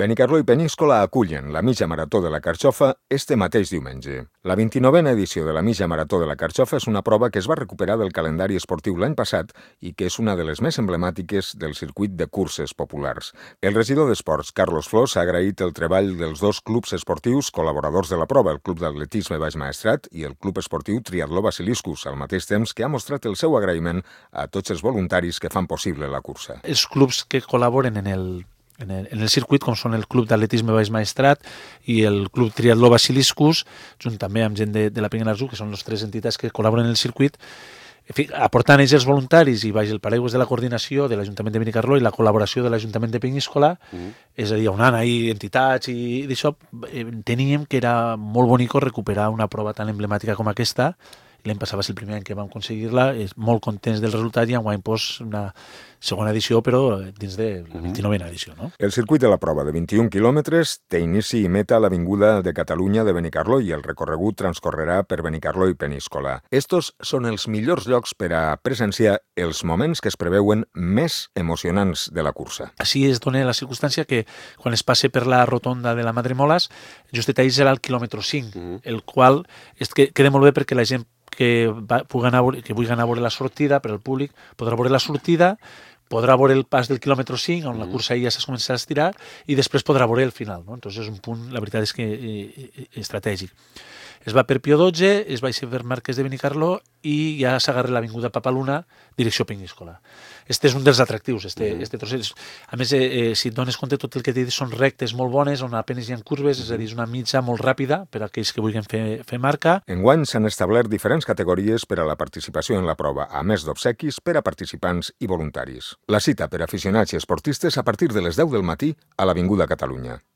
Benicarló i Peníscola acullen la mitja marató de la Carxofa este mateix diumenge. La 29a edició de la mitja marató de la Carxofa és una prova que es va recuperar del calendari esportiu l'any passat i que és una de les més emblemàtiques del circuit de curses populars. El regidor d'Esports, Carlos Flors, ha agraït el treball dels dos clubs esportius col·laboradors de la prova, el Club d'Atletisme Baix Maestrat i el Club Esportiu Triatló Basiliscus, al mateix temps que ha mostrat el seu agraïment a tots els voluntaris que fan possible la cursa. Els clubs que col·laboren en el circuit, com són el Club d'Atletisme Baix Maestrat i el Club Triatló Basiliscus, junt també amb gent de la Penyanarzú, que són les tres entitats que col·laboren en el circuit, en fi, aportant ells els voluntaris i baix el paraigües de la coordinació de l'Ajuntament de Benicarló i la col·laboració de l'Ajuntament de Peníscola, és a dir, on han ahir entitats i d'això, teníem que era molt bonic recuperar una prova tan emblemàtica com aquesta. L'any passat va ser el primer any que vam aconseguir-la, molt contents del resultat i enguany una segona edició, però dins de la 29a edició. No? El circuit de la prova de 21 quilòmetres té inici i meta a l'Avinguda de Catalunya de Benicarló i el recorregut transcorrerà per Benicarló i Peníscola. Estos són els millors llocs per a presenciar els moments que es preveuen més emocionants de la cursa. Així es dona la circumstància que quan es passe per la rotonda de la Madremoles, justet ahí serà el quilòmetre 5, el qual queda molt bé perquè la gent que vulgui anar a veure la sortida per al públic podrà veure la sortida, podrà veure el pas del quilòmetre 5, on la cursa ja s'ha començat a estirar, i després podrà veure el final. No? Entonces és un punt, la veritat és que estratègic. Es va per Pio XII, es baixa per Marquès de Benicarló i ja s'agarra l'Avinguda Papaluna, direcció Peníscola. Este és un dels atractius, este trosset. A més, si et dones compte, tot el que t'he dit són rectes molt bones, on apenas hi ha curves, és a dir, és una mitja molt ràpida per a aquells que vulguin fer marca. Enguany s'han establert diferents categories per a la participació en la prova, a més d'obsequis per a participants i voluntaris. La cita per a aficionats i esportistes a partir de les 10 del matí a l'Avinguda Catalunya.